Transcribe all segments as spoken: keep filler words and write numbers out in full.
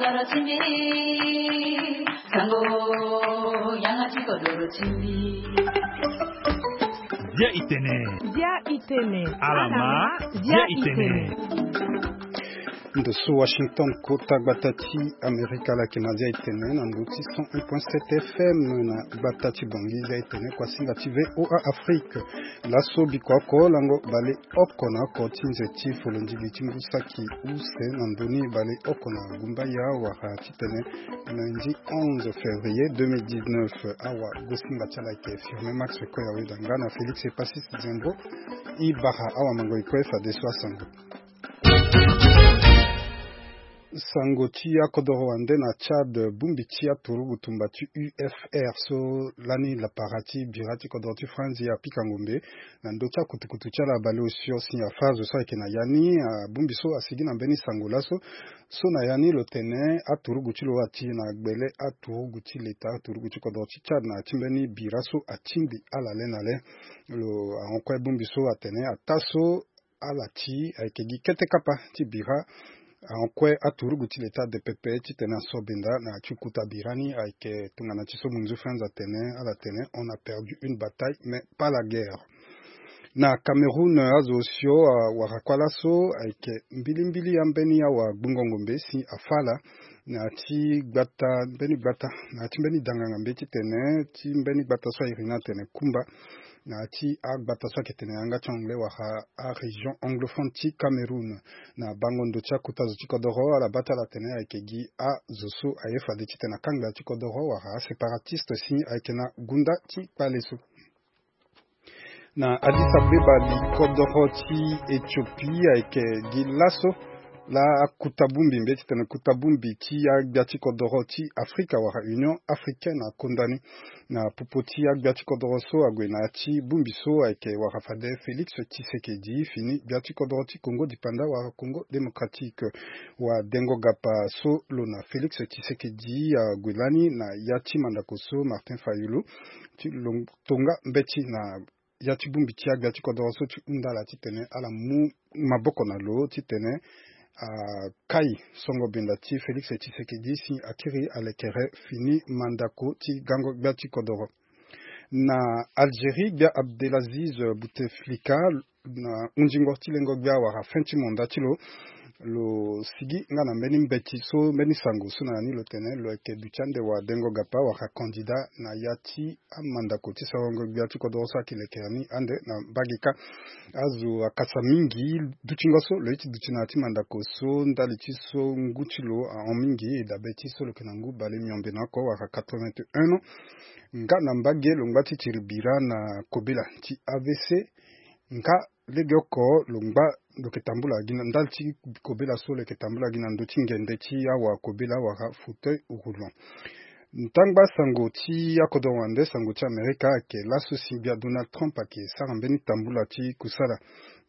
Dia itene. Dia itene. Alama. Dia itene. Ndo so Washington, kota gbata ti Amerika, ala yeke na dia itene na ndo ti cent un point sept F M na gbata ti Bangui. Dia itene kuasinga ti V O A Afrique. Laso biko oko lango bale oko na oko ti nze ti folondingbi ti ngu saki use na ndoni bale oko na gumbaya wara titene lundi onze février deux mille dix-neuf. Awa gosinga ti ala ayeke Firmin Max Koya Weda nga na Félix Epasis Diembo. E bara awamango e kue fadeso asango. Sango ti akodoro wande na Tchad, bongbi ti aturugu tumba ti U F R so lani lapara ti bira ti kodoro ti Franzi apika ngombe na ndö ti akutukutu ti ala baleosio si afa zo so ayeke na ya ni. Abongbi so asigi na mbeni sango laso so na ya ni lo tene aturugu ti lo ati na gbele aturugu ti leta, aturugu ti kodoro ti Tchad na ya ti mbeni bira so atingbi ala le na le. Lo ahon kue bongbi so atene ataa so ala ti ayeke gi kete kapa ti bira. Ahon kue aturugu ti leta de pepe titene aso benda na ya ti kota bira ni ayeke tongana ti so munzu Franz atene, ala tene: on a perdu une bataille mais pas la guerre. Na Cameroun, azo osio awara kua laso ayeke mbilimbili ambeni awa gbungo ngombe si afa ala na ya ti gbata mbeni gbata na ya ti mbeni danganga mbe titene ti mbeni gbata so airi ni atene Kumba na ya ti agbata so ayeke tene yanga ti anglais wala arégion anglophone ti Cameroun. Na bango ndo ti akota zo ti kodoro ala baa ti ala tene ayeke gi azo so aye fade titene akangba ya ti kodoro wala aséparatiste si ayeke na gunda ti kpale so. Na Addis Abeba, likodoro ti Éthiopie ayeke gi laso la akuta bongbi mbe titene kuta bongbi ti agbia ti kodoro ti Afrika wala Union Africaine akonda ni. Na popo ti agbia ti kodoro so ague na ya ti bongbi so ayeke wara fade Félix Tshisekedi fini gbia ti kodoro ti Congo dipanda wala Congo Démocratique. Wadengo gapa so lo na Félix Tshisekedi ague lani na ya ti mandako so Martin Fayulu ti lo tonga mbeti na ya ti bongbi ti agbia ti kodoro so ti hunda ala titene ala mu maboko na lo titene akai songo benda ti Félix Tshisekedi si akiri alekere fini mandako ti gango gbia ti kodoro. Na Algérie, gbia Abdelaziz Bouteflika na hunzingo ti lengo gbia wala fin ti manda ti lo, lo sigi nga na mbeni mbeti so mbeni sango so na ya ni lo tene lo yeke duti ande wadengo gapa wala candidat na ya ti amandako ti sarango gbia ti kodoro so ayeke lekere ni ande na mbage kâ. Azo akasa mingi dutingo so lo ye ti duti na ya ti mandako so ndali ti so ngu ti lo ahon mingi e dabe ti so lo yeke na ngu bale miombe na oko wala quatre-vingt-un ans. Nga na mbage lo ngba ti tiri bira na kobela ti A V C. Nga lege oko lo ngba lo yeke tambula gi na ndali ti kobela so lo yeke tambula gi na ndö ti ngende ti awa kobela wala fauteuil roulant. Ntangba sango ti akodoro wande sango ti Amerika ayeke laso si gbia Donald Trump ayeke sara mbeni tambula ti kusala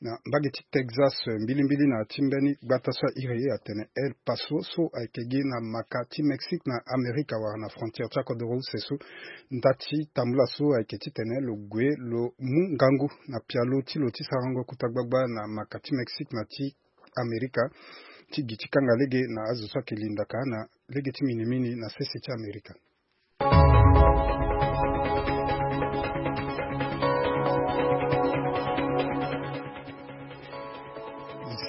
na mbage ti Texas, mbilimbili na ya ti mbeni gbata so airi atene El Paso so ayeke gi na maka ti Mexique na Amerika wala na frontière ti akodoro use so. Nda ti tambula so ayeke titene lo gue lo mu ngangu na pialo ti lo ti sarango kota gbagba na maka ti Mexique na ti Amerika ti gi ti kanga lege na azo so ayeke lindaka na lege ti minimini na sese ti Amerika.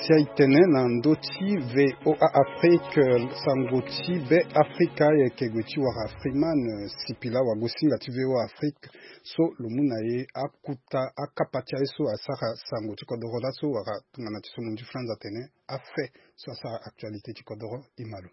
Si aye tene na ndö ti V O A Afrique, sango ti Be Afrika ayeke gue ti wara Freeman Sipila, wagosinga ti V O A Afrique, so lo mu na ye akuta akapa ti aye so asara sango ti kodoro laso wala tongana ti so mo ndi Franz atene afe so asara actualité ti kodoro. E ma lo.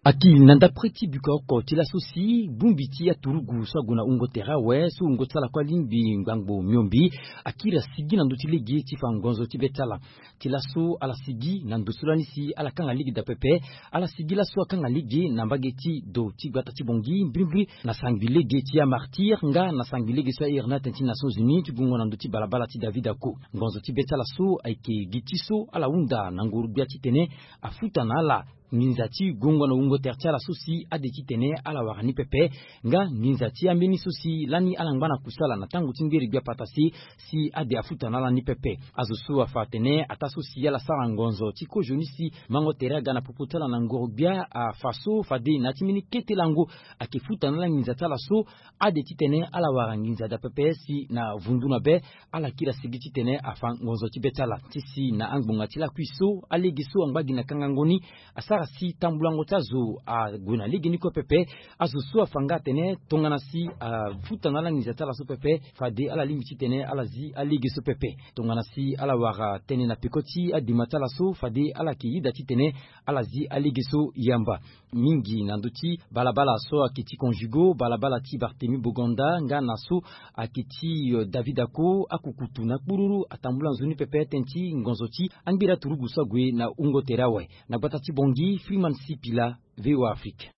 Aki na ndapre ti biko oko ti laso si bongbi ti aturugu so ague na hungo tere awe so hungo ti ala kue alingbi ngbangbo miombe, akiri asigi na ndö ti lege ti fa ngonzo ti be ti ala. Ti laso ala sigi na ndo so lani si ala kanga lege daa pepe. Ala sigi laso akanga lege na mbage ti do ti gbata ti Bangui mbirimbiri na sangbi lege ti amartyr nga na sangbi lege so airi ni atene ti Nations Unies ti gungo na ndö ti balabala ti David Ako. Ngonzo ti be ti ala so ayeke gi ti so ala hunda na ngoro-gbia titene afuta na ala nginza ti gongo na wungo tere ti ala so si ade titene ala wara ni pepe, nga nginza ti ambeni so si lani ala ngba na kusala na tango ti ngeri gbia patase, si ade afuta na ala ni pepe. Azo so afa atene ataa so si ala sara ngonzo ti kozoni si mango tere aga na popo ti ala na ngoro gbia afa so fade na ya ti mbeni kete lango ayeke futa na ala nginza ti ala so, ade titene ala wara nginza daa pepe si na vundu na be ala kiri asigi titene afa ngonzo ti be ti ala. Ti si na angbonga ti lakui so alege so angba gi na kangango ni asara si tambulango ti azo ague na legeni kue pepe. Azo so afa nga atene tongana si afuta na ala nginza ti ala so pepe, fade ala lingbi titene ala zi alege so pepe. Tongana si ala wara tënë na peko ti adema ti ala so, fade ala yeke yeda titene ala zi alege so yamba. Mingi na ndö ti balabala so ayeke ti Conjugo, balabala ti Barthélemy Boganda, nga na so ayeke ti, euh, David Ako, akukutu na kpururu atambula nzoni pepe tënë ti ngonzo ti angbiri aturugu so ague na wungo tere awe. Na gbata ti Bangui, Freeman Sipila, V O A Afrique.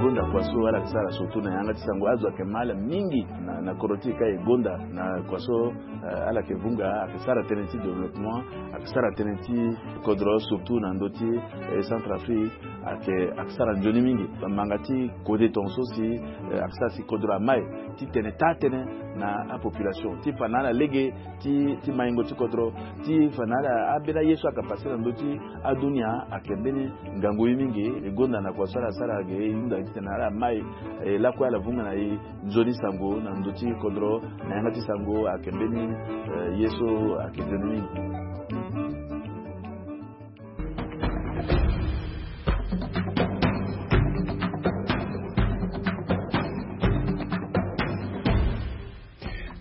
Gonda kua so ala yeke sara surtout na yanga ti sango, azo ayeke ma ala mingi na, na kodro ti e ka e gonda na kua so, eh, ala yeke vunga, ayeke sara tënë ti développement, ayeke sara tënë ti kodro, surtout na ndö ti, eh, Centrafrique, ayeke, ayeke sara nzoni mingi. Bamanga ti kode tongaso si, eh, ayeke sara si kodro amai titene taa tënë na apopulation ti fa na ala lege ti, ti maingo ti kodro, ti fa na ala ambeni aye so ayeke pase na ndö ti adunia, ayeke mbeni ngangu ye mingi. E gonda na kua so ala sara ge, e hunda titene ala mai, e lakue ala vunga na e nzoni sango na ndö ti kodro, na yanga ti sango ayeke mbeni, eh, ye so ayeke nzoni mingi.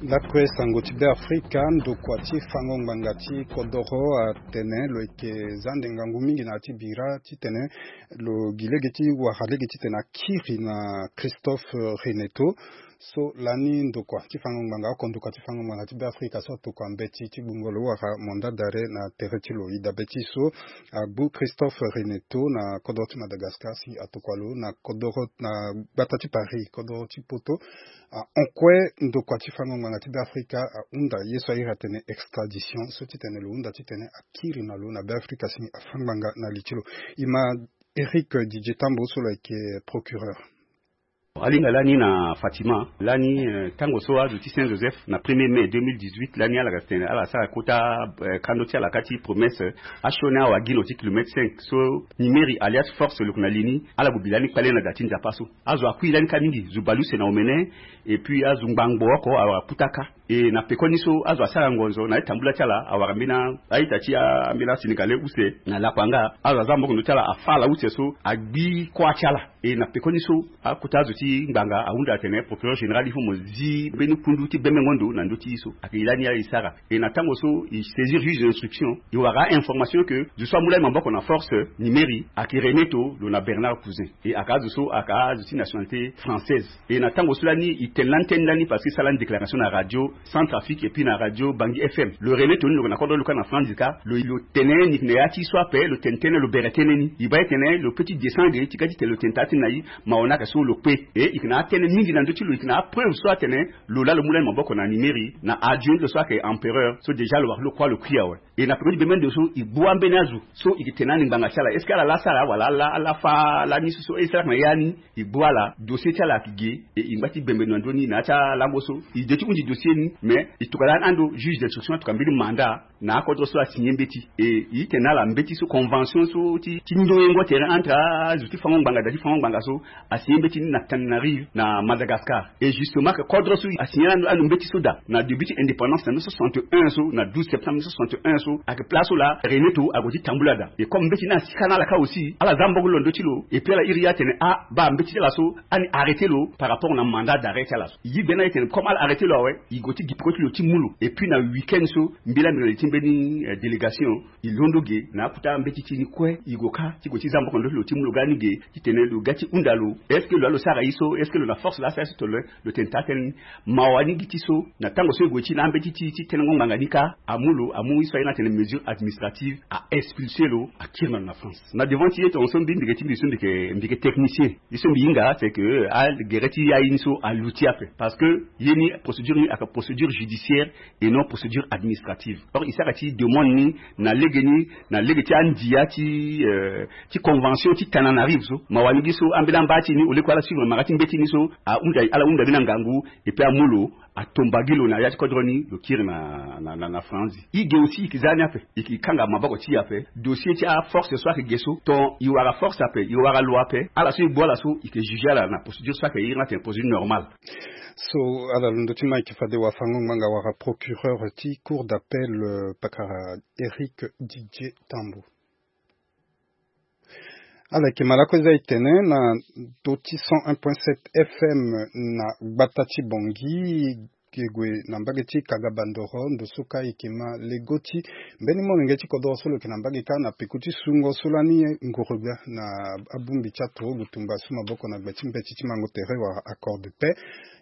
Lakue sango ti Beafrika, ndokua ti fango ngbanga ti kodoro atene lo yeke za ande ngangu mingi na ya ti bira titene lo gi lege ti wara lege titene akiri na Christophe Reneto. So lani ndokua ti fango ngbanga, oko ndokua ti fango ngbanga ti Beafrika so atokua mbeti ti gbungo lo wara mandat d'arrêt na tere ti lo. E dabe ti so agbu Christophe Reneto na kodoro ti Madagascar si atokua lo na kodoro, na gbata ti Paris, kodoro ti poto. Ah, en kue ndokua ti fango ngbanga ti Beafrika ahunda ye so airi atene extradition, so titene lo hunda titene akiri na lo na Beafrika si afa ngbanga na li ti lo. E ma Eric Didier Tambo so lo yeke procureur. Alinga lani na Fatima, lani, eh, tango so azo ti Saint Joseph na premier mai deux mille dix-huit, lani ala ga tene ala sara kota, eh, kando ti ala ka ti promesse, eh, asioni awa gi na ti kilomètre cinq so Nimeri alias Force lo yeke na li ni, ala gue bi lani kpale na da ti Nzapa so. Azo akui lani ka mingi, zo bale use na omene, et puis azo ngbangbo oko awara puta ka. E na pekoni so azo asara ngonzo na ye tambula ti ala, awara mbeni a-ita ti a-, mbeni aSénégalais use na lakua nga. Azo aza maboko na ndö ti ala, afa ala use so agbi kuâ ti ala. E na pekoni so akota azo ti ngbanga ahunda atene procureur général il faut mo zi mbeni kundu ti bembengo ndo na ndö ti ye so. Ayeke e lani ala e sara. E na tango so e saisir juge d'instruction, e wara a-information que zo so amu lani maboko na force, Nimeri, ayeke Reneto lo na Bernard Cousin. E ayeke azo so ayeke azo ti nationalité française. E na tango so lani e tene lani tënë lani parce que e sara lani déclaration na radio Centrafrique et puis na radio Bangui F M. Lo Reneto ni lo yeke na kodro lo ka na France ka, lo, lo tene ni yeke na ya ti so ape, lo tene tënë, lo bere tënë ni. E baa e tene lo peut ti descendre ti ga titene lo tene taa tënë na e, mawa ni ayeke so lo kpe. E e yeke na atënë mingi na ndö ti lo, e yeke na apreuve so atene lo laa lo mu lani maboko na Nimeri na adio ni lo so ayeke empereur so déjà lo wara lo kuâ lo kui awe. E na peko ti bembe ndo so e gbu ambeni azo so e yeke tene na ni ngbanga ti ala, est-ce que ala laa sara wala ala, ala fa lani so so, est-ce que ala yeke na ya ni? E gbu ala, dossier ti ala ayeke ge. E e ngba ti bembe ndo na ndö ni na ya ti alango so e de ti hunzi dossier ni, mais e tokua lani ando juge d'instruction atokua mbeni mandat na akodro so asigné mbeti. E e tene na ala mbeti so, convention so ti, ti ndoyengo tere entre azo ti fango ngbanga, da ti fango ngbanga so, asigné mbeti ni na Tananarive na Madagascar. Et justement, que kodro so asigné ando, ando mbeti so da na début ti indépendance na mille neuf cent soixante et un so, na douze septembre mille neuf cent soixante et un so, ayeke place so laa Reneto ague ti tambula da. Et comme mbeti ni asika na ala ka aussi, ala za maboko lo na ndö ti lo. Et puis ala iri ye atene, ah, baa, mbeti ti ala so ani arrêté lo par rapport na mandat d'arrêt ti ala so. E gi gbe ni aye tene comme ala arrêté lo awe, e gue ti gi peko ti lo ti mu lo. Et puis na week-end so, mbela mbi na li ti mbeni, eh, délégation, e londo ge na akota mbeti ti e ni kue, e gue ka ti gue ti za maboko na ndö ti lo ti mu lo ga ni ge, titene lo ga ti hunda lo. Est-ce que lo laa lo sara ye so? Est-ce que lo na force laa asara ye so? Tongana lo tene taa tënë ni. Mawa ni gi ti so, na tango so e gue ti na ambeti ti, ti tenengo ngbanga ni ka, amu lo, amu ye so airi atene mesure administrative, a expulsé lo, akiri na lo na France. Na devant ti ye tongaso mbi, mbi yeke ti mbi so mbi yeke, mbi yeke technicien. Ye so mbi hinga, c'est que, ah, gere ti aye ni so aluti ape. Parce que ye ni, procédure ni ayeke procédure judiciaire et non procédure administrative. Or, il Sara ti demande ni na lege ni, na lege ti andia ti, euh, ti convention ti Tananarive so. Mawa ni gi so ambeni amba ti ni, au lieu que ala suivre mara ti mbeti ni so, ahunda, ala hunda ni na ngangu, et puis amu lo, atomba gi lo na ya ti kodro ni, lo kiri na, na, na, na France. I ge aussi, i ke za ni ape, i ke kanga maboko ti i ape. Dossier ti aforce so ayeke ge so, ton i wara force ape, i wara lo ape, ala so i gbu ala so, i ke juger ala na procédure so ayeke iri ni atene procédure normale. So ala londo ti Mike Fade Wafango ngbanga wara procureur ti cour d'appel, euh, pakara Eric Didier Tambo. Ala yeke ma lakue eza e tene na ndö ti cent un point sept F M na gbata ti Bangui, e gue na mbage ti Kagabandoro, ndo so kâ e yeke ma lego ti mbeni molenge ti kodoro so lo yeke na mbage kâ na peko ti sungo so lani ngoro gbia na abongbi ti aturugu tumba so maboko na gbe ti mbeti ti mango tere wala accord de paix.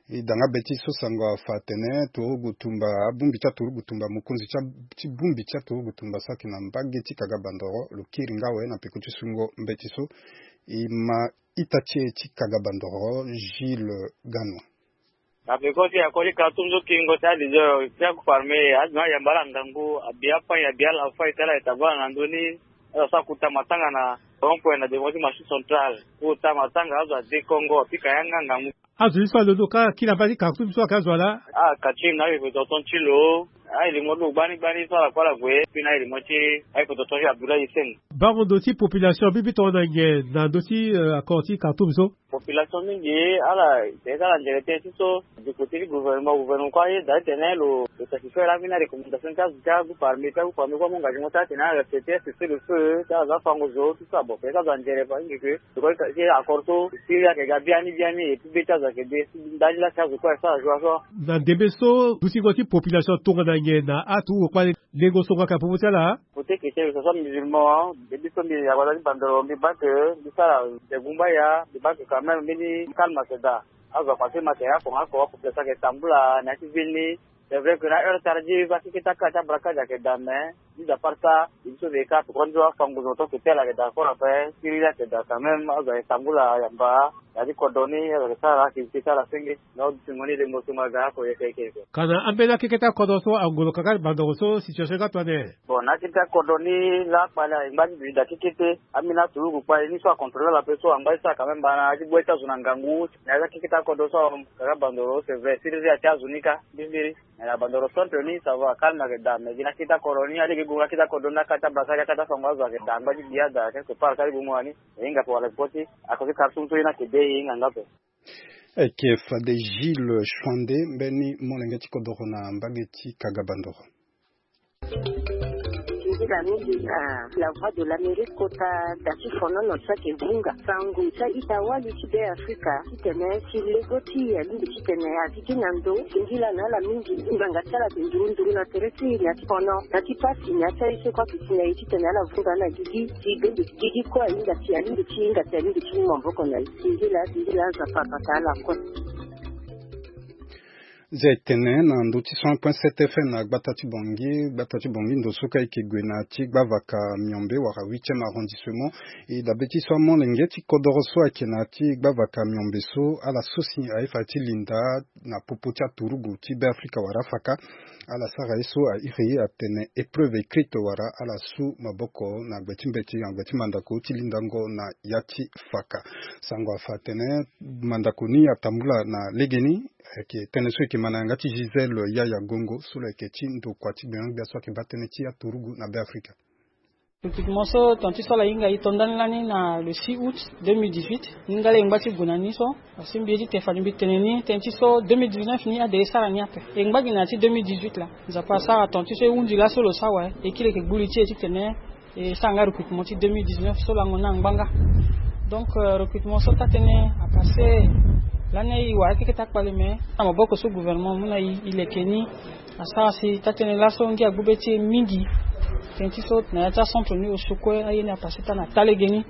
E da nga be ti so sango afa atene turugu tumba, abongbi ti aturugu tumba, mokonzi ti a-, ti bongbi ti aturugu tumba so ayeke na mbage ti Kagabandoro lo kiri nga awe na peko ti sungo mbeti so. E ma ita ti e ti Kagabandoro, Gilles Gano. Na peko ti akoli Khartoum so kingo ti alizo ti agroupe armé azo na ayamba ala ngangu, abi apagne, abi ala fay ti ala e tabu ala na ndö ni. Ala so akuta matanga na rond point na devant ti marché central. Kuta matanga azo ade kongo apika yanga ngangu. Azo ye so alondo kâ kiri na mbage ti Khartoum so ayeke azo ala. Ah, Khartoum na aye pe tonton ti lo. Aye limo lo gbani gbani so ala kue ala gue. Puis na aye limo ti aye pe tonton ti Abdoulaye Hissène. Bango ndo ti population mbi mbi tongana nyen na ndö ti, euh, accord ti Khartoum so? Population mingi ala, ala nzere tënë ti so. Du côté ti gouvernement, gouvernement kue ayeda titene lo, lo satisfaire ambeni recommandation ti azo ti agroupe armé, ti agroupe armé kue amu engagement ti atene ala respecter cessez-le-feu ti azo afango zo tout ça. Bon, peut-être azo anzere pa ingi ke lo kue ti accord so Syrie ayeke ga biani biani et puis be ti azo ayeke de. Ndali la ti azo kue ayeke sara joie so. Na ndembe so dutingo ti population tongana nyen na aturugu kpale? Lengo songo ayeke na popo ti ala. Côté chrétien, que ce soit musulman, mbi so mbi yamba ti bandoro, mbi baa que mbi sara nze gumbaya, mbi baa que quand même mbeni calme ayeke daa. Azo akpase matériel oko nga oko, apopulation ayeke tambula na ya ti ville ni. C'est vrai que na heure tardive akeke ti akara ti abraquage ayeke daa, mais mis à part ça, mbi so mbi ye kâ tokua ndio afango zo tonso tel ayeke daa, kora ape siriri ayeke daa quand même, azo ayeke tambula yamba. Na ya ti kodro ni azo ayeke sara activité ti ala senge. Na odi ti mo ni lengo so mo aga oko yeke yeke yeke. Kana ambeni akeke ti akodro so angolo kaka ti bandoro so situation ti ga tongana nyen? Bon, na akeke ti akodro ni la akpale ayeke ngba ti duzi daa kekete. Ambeni aturugu kpale ni so acontrôler ala ape so angba ti sara quand même mbana ti gbu ti azo na ngangu. Na ya ti akeke ti akodro so kaka bandoro, c'est vrai, siriri atia azo ni kâ mbirimbiri. Mais na bandoro centre ni ça va, calme ayeke daa, mais gi na akeke ti akodro ni alege gongo akeke ti akodro ni akaka ti abrasa akaka ti afango azo ayeke daa angba ti gbi ada quelque part kâ ti gongo wani. E hinga ape wala peko ti akodro ti Khartoum so ye ni ayeke de e hinga nga ape. Ayeke fade Gilles Chouandé, mbeni molenge ti kodoro na mbage ti Kagabandoro. Nzila mingi na La Voix de l'Amérique kota da ti fonono so ayeke vunga sango ti a-ita wali ti Be Afrika titene ti lego ti e alingbi titene azi gi na ndo. Singila na ala mingi ngbanga ti ala ayeke nduru nduru na tere ti e na ya ti fono na ya ti pasi na ya ti aye so kue ayeke si na e titene ala vunga na gigi. Ti bende gigi kue ahinga si alingbi ti hinga si alingbi ti mu maboko na e. Singila singila Nzapa abata ala kue. Zia e tene na ndö ti cent point sept F M na gbata ti Bangui, gbata ti Bangui ndo so kâ e yeke gue na ya ti gbavaka Miombe wala huitième arrondissement. E dabe ti so amolenge ti kodoro so ayeke na ya ti gbavaka Miombe so ala so si aye fade ti linda na popo ti aturugu ti Be Afrika wala Afaka. Ala sara ye so a iri atene épreuve écrite wala ala su maboko na gbe ti mbeti na gbe ti mandako ti lindango na ya ti faka. Sango afa atene mandako ni atambula na legeni. Ayeke tënë so e yeke ma na yanga ti Gisèle Yaya Gongo so lo yeke ti ndokua ti gbenyogbia so ayeke baa tënë ti aturugu na Be Afrika. Recrutement so tongana ti so ala hinga e to ndani lani na le six août deux mille dix-huit. Ni nga laa e ngba ti gue na ni so. Asi mbi ye ti tene fade mbi tene ni tënë ti so deux mille dix-neuf ni ade e sara ni ape. E ngba gi na ya ti deux mille dix-huit laa. Nzapa asara tongana ti so e hundi laso lo sara awe. E kiri yeke gbu li ti e titene e sara nga recrutement ti deux mille dix-neuf so lango ni angba nga. Donc, euh, recrutement so taa-tënë apase lani aye e wara akeke ti akpale me na maboko so gouvernement amu na e, e leke ni. Asara si taa-tënë laso ngia agbu be ti e mingi. Tënë ti so na ya ti acentre ni oso kue aye ni apase taa na taa legeni.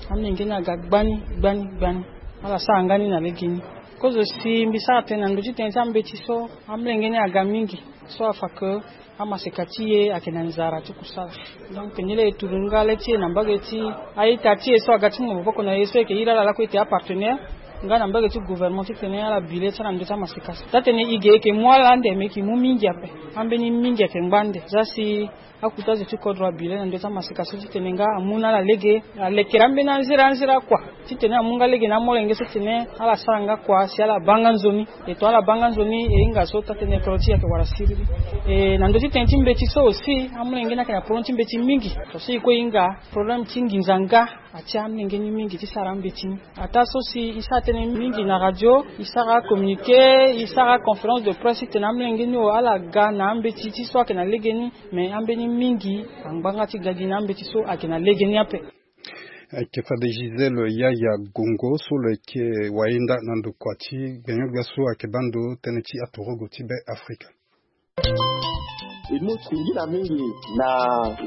Amolenge ni aga gbani gbani gbani. Ala sara nga ni na legeni. Kozo si mbi sara tënë na ndö ti tënë ti ambeti so amolenge ni aga mingi. So afa ke amaseka ti e ayeke na nzara ti kusala. Donc ni laa e turu nga le ti e na mbage ti a-ita ti e so aga ti mu maboko na e so e yeke iri ala lakue e tene apartenaire. Nga na mbage ti gouvernement titene ala bile ti ala na ndö ti amaseka so, taa-tënë e ge e yeke mu ala ande, me e yeke mu mingi ape. Ambeni mingi ayeke ngba ande. Za si akuta azo ti kodro abile na ndö ti amaseka so titene nga amu na ala lege, alekere ambeni anzere anzere akua titene amu nga lege na amolenge so titene ala sara nga kua si ala baa nga nzoni. E tonga ala baa nga nzoni, e hinga so taa-tënë kodro ti e ayeke wara siriri. E na ndö ti tënë ti mbeti so aussi, amolenge ni ayeke na problème ti mbeti mingi. Tongaso e kue e hinga problème ti nginza nga atia amolenge ni mingi ti sara ambeti ni. Ataa so si e sara tënë mingi na radio, e sara communiqué, e sara conférence de presse titene amolenge ni o ala ga na ambeti ti so ayeke na lege ni. Me ambeni mingi angba nga ti ga gi na ambeti so ayeke na lege ni ape. Ayeke fade Gisèle Yaya Gongo so lo yeke wayenda na ndokua ti gbenyo-gbia so ayeke baa ndo tënë ti atorogo ti Be Afrika. E mu singila mingi na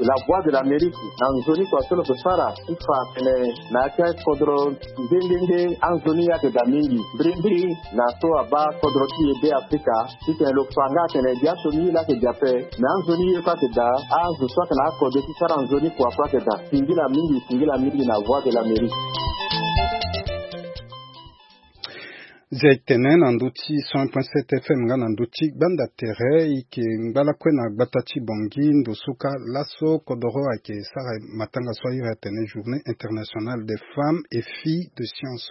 La Voix de l'Amérique na nzoni kua so lo yeke sara ti fa tene na ya ti akodro nde nde nde anzoni ayeke daa mingi. Mbirimbiri na so abaa kodro ti e Be Afrika, titene lo fa nga atene gi asioni ye laa ayeke daa ape, me anzoni ye kue ayeke daa, azo so ayeke na akode ti sara nzoni kua kue ayeke daa. Singila mingi, singila mingi na Voix de l'Amérique. Zia e tene na ndö ti cent point sept F M nga na ndö ti gbanda tere, e yeke ngba lakue na gbata ti Bangui ndo so kâ laso kodoro ayeke sara matanga so airi atene Journée internationale des femmes et filles de science.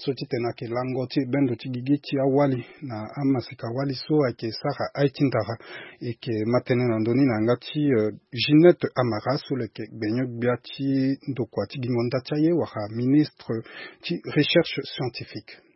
So titene ayeke lango ti bendo ti gigi ti awali na amaseka wali so ayeke sara aye ti ndara. E yeke ma tënë na ndö ni na yanga ti, euh, Ginette Amara so lo yeke gbenyo-gbia ti ndokua ti gingo nda ti aye wala ministre ti recherche scientifique.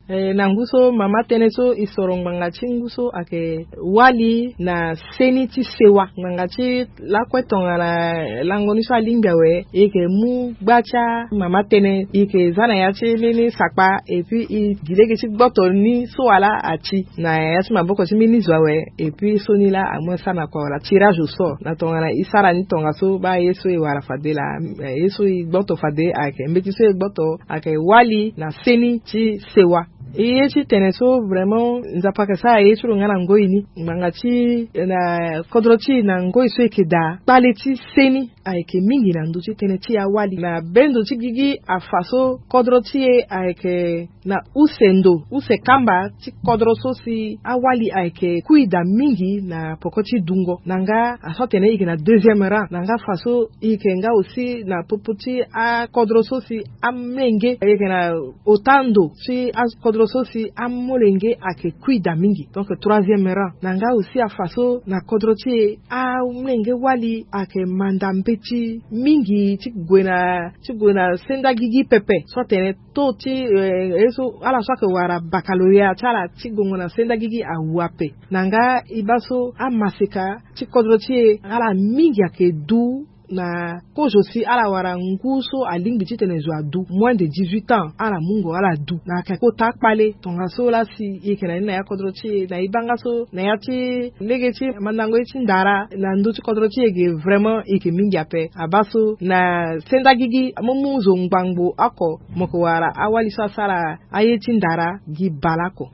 Eh, na ngu so mama tënë so e soro ngbanga ti ngu so ayeke wali na seni ti sewa. Ngbanga ti lakue tongana lango ni so alingbi awe, e yeke mu gba ti amama tënë, e yeke za na ya ti mbeni sakpa, et puis e gi lege ti gboto ni so wala ati na ya ti maboko ti mbeni zo awe, et puis so ni laa amu asara na kua wala tirage au sort. Na tongana e sara ni tongaso, baa ye so e wara fade laa, eh, ye so e gboto fade ayeke, mbeti so e gboto ayeke wali na seni ti sewa. E ye ti tene so vraiment Nzapa ayeke sara ye ti lo nga na ngoi ni. Ngbanga ti e na kodro ti e na ngoi so e yeke daa, kpale ti seni ayeke mingi na ndö ti tënë ti awali. Na bendo ti gigi afa so kodro ti e ayeke na use ndo, use kamba ti kodro so si awali ayeke kui daa mingi na poko ti dungo. Na nga aso atene e yeke na deuxième rang. Na nga fa so e yeke nga aussi na popo ti akodro so si amolenge, e yeke na ota ndo ti akodro so si amolenge ayeke kui daa mingi. Donc troisième rang. Na nga aussi afa so na kodro ti e amolenge wali ayeke manda mbeti mingi ti gue na, ti gue na senda gigi pepe. So atene taux ti, eh, ye so ala so ayeke wara baccalauréat ti ala ti gongo na senda gigi awu ape. Na nga e baa so amaseka ti kodro ti e ala mingi ayeke du na kozo si ala wara ngu so alingbi titene zo adu, moins de dix-huit ans, ala mungo ala du. Na ayeke kota akpale. Tongaso laa si e yeke na ni na ya kodro ti e, na e baa nga so na ya ti lege ti mandango ye ti ndara na ndö ti kodro ti e ge, vraiment e yeke mingi ape. Abaa so na senda gigi, amu mu zo ngbangbo oko mo yeke wara awali so asara aye ti ndara gi baleoko.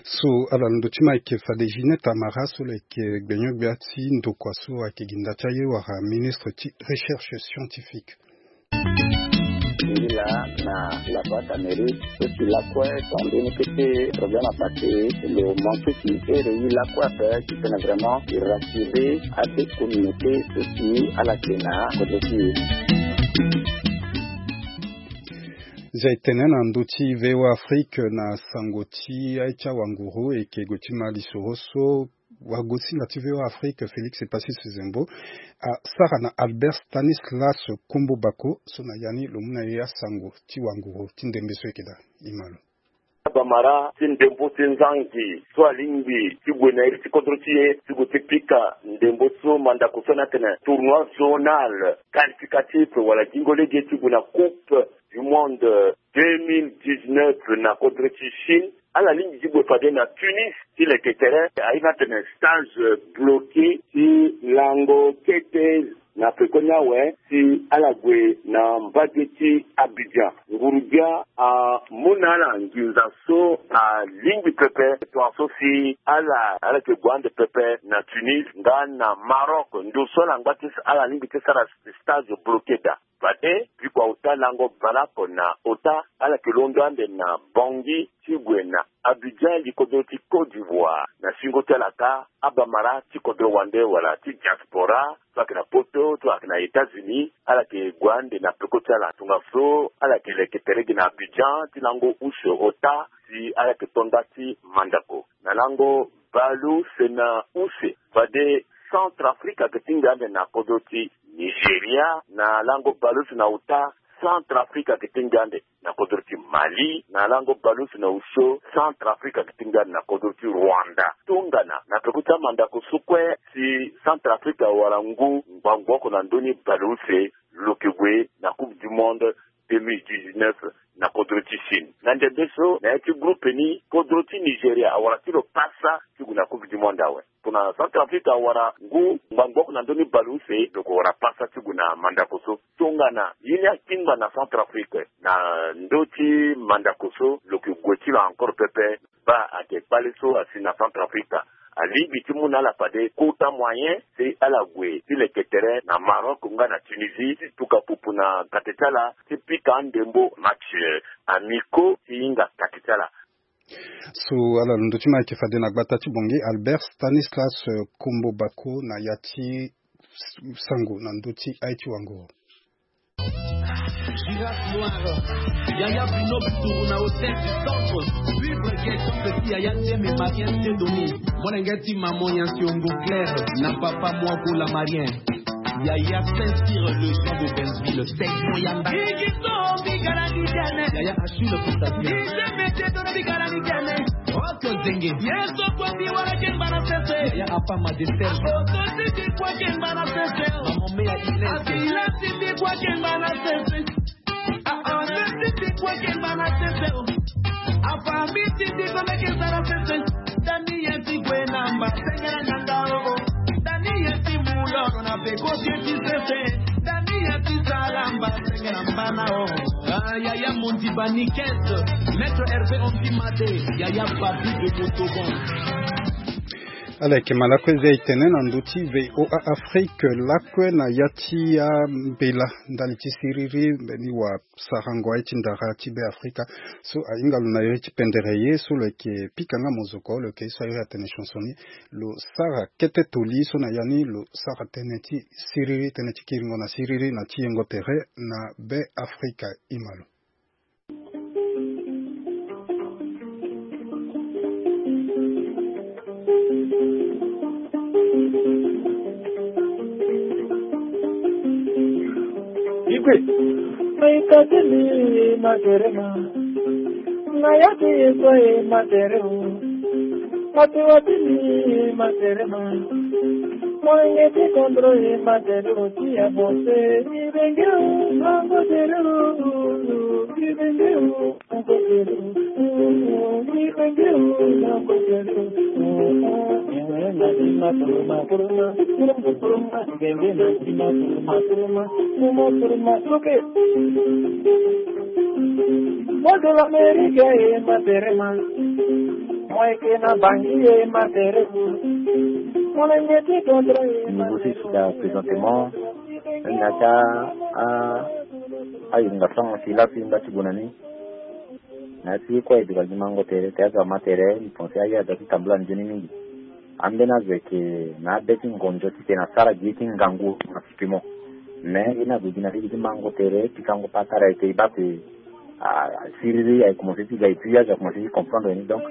So ala na ndö ti ma ayeke fade Ginette Amara so lo yeke gbenyo-gbia ti ndokua so ayeke gi nda ti aye wala ministre ti recherche scientifique. Ila na La Voix d'Amérique so si lakue tongana mbeni kete problème apassé, lo manqué ti ere ye lakue ape titene vraiment e rassurer ade communauté so si ala yeke na kodro ti e. Zia e tene na ndö ti V O A Afrique na sango ti aye ti awanguru, e yeke gue ti ma lisoro so wagosinga ti V O A Afrique Félix Epassis Zembo asara na Albert Stanislas Kombo Bako so na ya ni lo mu na e asango ti wanguru ti ndembe so e yeke daa. E ma lo. Bamara ti ndembo ti nzangi so alingbi ti gue na iri ti kodro ti e ti gue ti pika ndembo so mandako so ni atene tournoi zonal qualificatif wala gingo lege ti gue na coupe du monde deux mille dix-neuf na kodro ti Chine. Ala lingbi ti gue fade na Tunis ti leke tere, aye ni atene stage bloqué ti lango kete na peko ni awe si ala gue na mbage ti Abidjan. Nguru-gbia amu na ala nginza so alingbi pepe, tongaso si ala, ala yeke gue ande pepe na Tunis nga na Maroc, ndo so ala ngba ti, ala lingbi ti sara stage bloqué daa. Fade biko auta Lango baleoko na ota ala yeke londo ande na Bangui ti gue na Abidjan, li kodro ti Côte d'Ivoire. Na singo ti ala kâ, abamara ti kodro wande wala ti diaspora, so ayeke na Poto, so ayeke na États-Unis, ala yeke gue ande na peko ti ala. Tongaso ala yeke leke tere gi na Abidjan ti lango use ota, si ala yeke to nda ti mandako. Na lango baleuse na use, fade Centrafrique ayeke tingbi ande na kodro ti Nigeria. Na lango baleuse na ota, Centrafrique ayeke tingbi ande na kodro ti Mali. Na lango baleuse na uso, Centrafrique ayeke tingbi ande na kodro ti Rwanda. Tongana na peko ti amandako so kue, si Centrafrique awara ngu ngbangbo oko na ndö ni baleuse, lo yeke gue na Coupe du Monde deux mille dix-neuf na kodro ti Chine. Na ndembe so, na ya ti groupe ni, kodro ti Nigeria awara ti lo pasa ti gue na Coupe du Monde awe. Tongana Centrafrique awara ngu ngbangbo oko na ndö ni baleuse, lo yeke wara pasa ti gue na mandako so. Tongana ye ni akingba na Centrafrique na ndö ti mandako so, lo yeke gue ti lo encore pepe. Baa ayeke kpale so asi na Centrafrique. Alingbi ti mu na ala fade kota moyen si ala gue ti leke tere na Maroc nga na Tunisie, ti tuka pupu na kate ti ala, ti pika andembo, match, eh, amicaux ti hinga kate ti ala. So ala londo ti ma ayeke fade na gbata ti Bangui, Albert Stanislas, eh, Kombo Bako na ya ti sango na ndö ti aye ti wanguru. Girafe noire, Yaya Bino Bituru na hôtel du centre. Vive Gueton, petit Yaya Tieme, Marien Tedoni. Molenge ti maman ya Siongo Claire na papa Moago la Marien. Yaya Saint-Cyr, le Jean d'Auberville, Seigneur Yanda. Yaya Achille Constantin. Oko zenge. Yesu kwa bi wala kemba na sese. Ya apa ma de Serge. Oko sisi kwa kemba na sese. Maman mea Inès. Asila sisi kwa kemba na sese. Ah, ah, sisi kwa kemba na sese. Afa mi sisi kwa meke sara sese. Dani yeti kwe na mba sengera nyanga o. Dani yeti mulo na peko yeti sese. Dani yeti sara mba sengera mba na o. Ah, Yaya Mondi Banikes, Maître Hervé Ondi Made, Yaya Babi de Montauban. Ala yeke ma lakue zia e tene na ndö ti V O A Afrique lakue na ya ti ambela ndali ti siriri mbeni wasarango aye ti ndara ti Be Afrika. So ahinga lo na iri ti pendere ye so lo yeke pika nga mozoko, lo yeke ye so a iri atene chanson ni. Lo sara kete toli so na ya ni lo sara tënë ti siriri, tënë ti kiringo na siriri na ti yengo tere na Be Afrika. Ima lo. Igwe. Maikatini materema. Ngayati yekwe matere o. Mati watini materema. Moyenge ti kondro ye matere o ti ya bose. Ibenge o, mango tere o. Ibenge o, mango tere o. Ibenge o, mango tere o. Ngenge na tima turuma turuma. Turuma turuma. Ngenge na tima turuma turuma. Turuma turuma. Soke. Voix de l'Amérique ye materema. Moi ke na Bangui ye materema. Mon amitié contre ye. Niveau six da présentement. Na ta a a yunga sang si la si nda ti gue na ni. Na ti kue e duka gi mango tere, te azo ama tere, mbi pense aye aza ti tambula nzoni mingi. Ambeni azo ayeke na abe ti ngonzo titene asara gi ye ti ngangu na pimo. Mais ye ni ague gi na lege ti mango tere, pikango patara ayeke e baa ape, ah, siriri aye commencé ti ga et puis azo akomense ti comprendre ni. Donc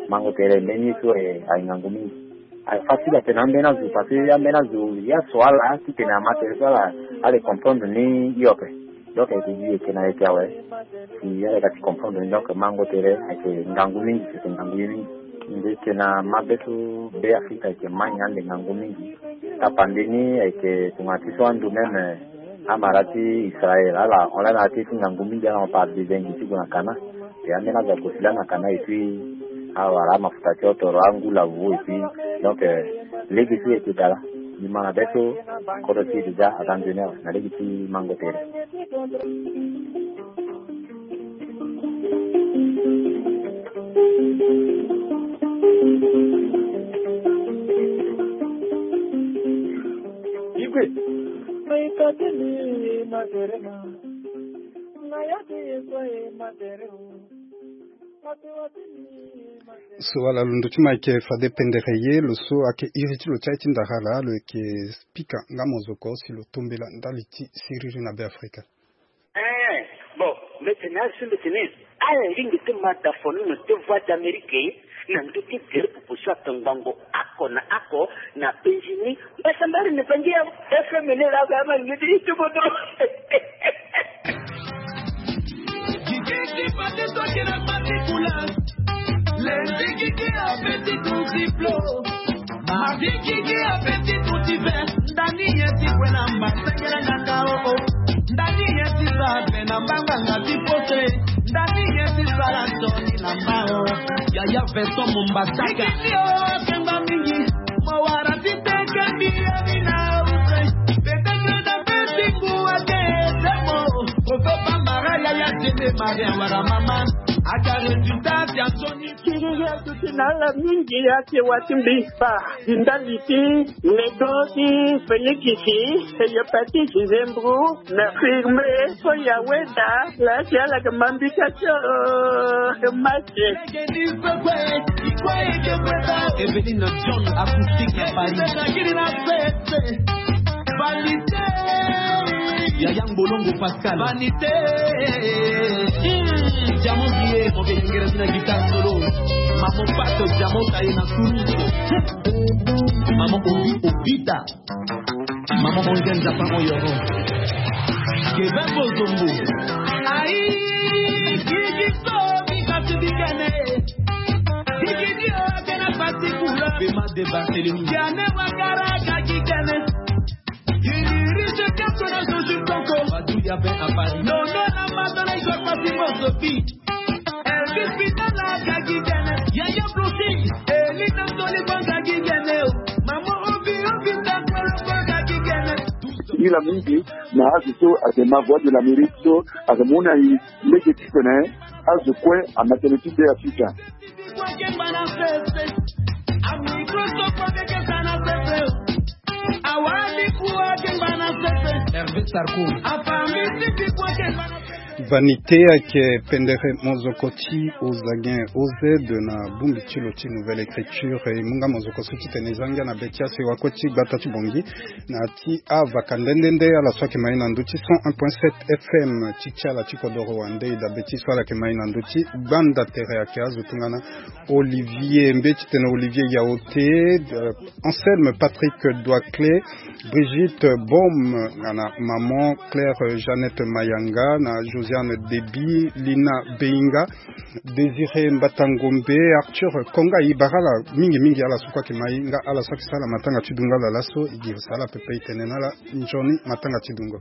mango tere mbeni ye so aye ngangu mingi. Aye facile atene ambeni azo parce que ambeni azo ye aso ala titene ama tere so ala ale comprendre ni hio ape. Donc ayeke gi ayeke na ayeke awe. Si ala yeke ti comprendre ni, donc mango tere ayeke ngangu mingi, ayeke ngangu ye mingi. Mbi yeke na mabe so Be Afrika ayeke ma nyen ande ngangu mingi. Tapande ni ayeke tongana ti so ando même amara ti Israël ala hon lani ala ti ngangu mingi, ala hon par dezengi ti gue na kana. E ambeni azo ague si lani na kana et puis awara amafuta ti hotoro angu lavu et puis donc, euh, lege so e yeke dala. Mbi ma na be so kodro ti e déjà aza nzoni awe na lege ti mango tere. Igwe. Maikatini materema. So ala lo ndo ti ma ayeke fade pendere ye lo so ayeke iri ti lo ti aye ti ndara ala lo yeke pika nga mozoko si lo tombela ndali ti siriri na Be Afrika. Eh, bon, mbi tene azo mbi tene ala lingbi ti ma da fo ni na te Voix d'Amérique na ndö ti gere popo so atongbango ako na ako na penzi ni. Mbasambari ni bangi ya F M ni la ba ma ngeti ti bodo. Gigi, gigi, pate so kena pate kula. Lundi, gigi, apeti ton ziplo. Mardi, gigi, apeti ton diver. Ndani ye ti kue na mba, sengele na nga, oh, oh. Ndani ye ti sa be na mbanga nga ti pote. Ndani ye ti sala nsoni na mba, oh. Yaya Vincent Mombasaka. Gigi, oh, kemba mingi. Mo wara ti teke mbi ye ni na use. Peut-être na pesi kuwa ke temo. Ko fe pa mara yaya tene mari awara mama. Aga résultat ya nsoni. Kiri ya tuti na ala mingi ya ke wati mbi pa. Ndali ti nego ti Félix, hépatite, zembro, na firme, so ya weda, la ti ala ke mambika tio, eh, mache. Eveline John, acoustique ya Paris. Vanité. Yaya Ngbolongo Pascal. Vanité. Hmm, Diamond Guillet, mon vieux, ngere na guitare solo. Maman Pato, Diamond Taye na Suni. Maman Obi, Obita. Maman Ongen, Japan, Oyoro. Kevin Bozombo. Aïe, Gigi Sobi, Gigi Gene. Gigi Dio, Gene Patikula. Bema de Barthélemy. Gene Wakara, Gigi Gene. Iririse Kato na Jojo Koko. Badou ya Ben à Paris. Non, non, la Madonna, je passe mon Sophie. Elvis Pitala, Gagi Gene. Yaya Flossy. Elina Soliban, Gagi Gene. Maman Obi, Obi, Takolo, Gagi Gene. Ila mingi na azo so ayeke ma Voix de l'Amérique so ayeke mu na e lege ti tene azo kue amatene ti Be Afrika. Hervé Sarko. Vanité ayeke pendere mozoko ti Ozagen O Z na bongbi ti lo ti Nouvelle Écriture. E mu nga mozoko so ti tene e za ngia na be ti aso e wakue ti gbata ti Bangui. Na ti avaka nde nde nde ala so ayeke ma e na ndö ti cent un point sept F M ti ti ala ti kodoro wande, e dabe ti so ala yeke ma e na ndö ti gbanda tere ayeke azo tongana Olivier, mbi ti tene Olivier Yaoté, euh, Anselme Patrick Douaclé, Brigitte Baume, nga na maman Claire Jeannette Mayanga, na Josiane Deby, Lina Beinga, Désiré Mbatangombe, Arthur Konga, e bara ala mingi mingi, ala so kue ayeke ma e nga ala so ayeke sara matanga ti dungo ala laso, e gi sara pepe, e tene na ala nzoni matanga ti dungo.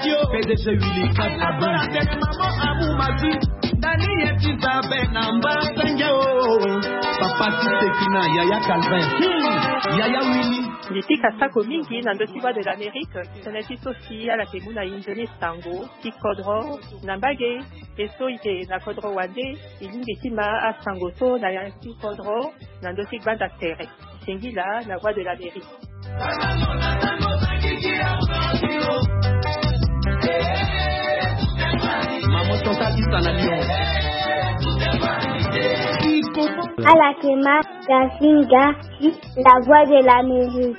P D G Willy Kat Abou. Papa ti Sekina, Yaya Calvin. Hmm, Yaya Willy. Mbi pika sako mingi na ndö ti Voix de l'Amérique, tënë ti so si ala yeke mu na e nzoni sango ti kodro na mbage, e so e yeke na kodro wande, e lingbi ti ma asango so na ya ti kodro na ndö ti gbanda tere. Singila na Voix de l'Amérique. Maman Chantal Issa na Lyon. Ala yeke ma Gasinga, la Voix de l'Amérique.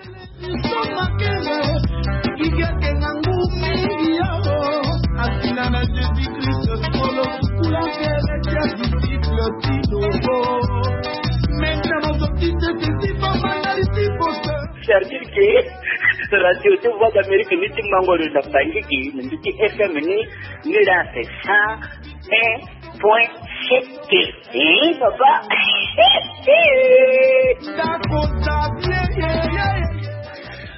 C'est-à-dire que radio ti Voix d'Amérique ni ti mango lo na Bangui gi, na ndö ti F M ni, ni la c'est cent un point sept. Eh, papa.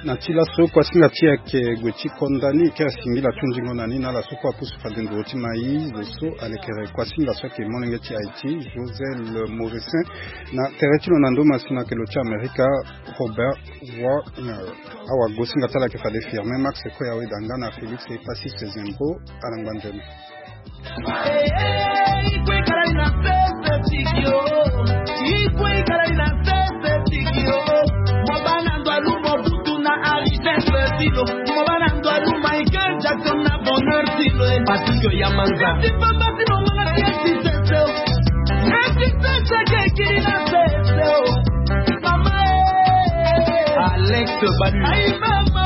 Na ti laso kuasinga ti e ayeke gue ti konda ni, e kiri singila ti hunzingo na ni na ala so kue apusu fade nduru ti ma e. Zo so alekere kuasinga so ayeke molenge ti Haïti, Josel Morissin, na tere ti lo na ndo masina ayeke lo ti Amerika, Robert Wagner. Awagosinga ti ala ayeke fade Firmin Max Koya Wedanga na Félix Epasis Zembo. Ala ngba nzoni. Tilo, mo bana ndo alu Michael Jackson na bonheur tilo, eh. Patrick Oyamanza. Merci papa, si mo mona merci sese, oh. Merci sese, ke kiri na sese, oh. Mama, eh. Alex Balu. Aïe, mama.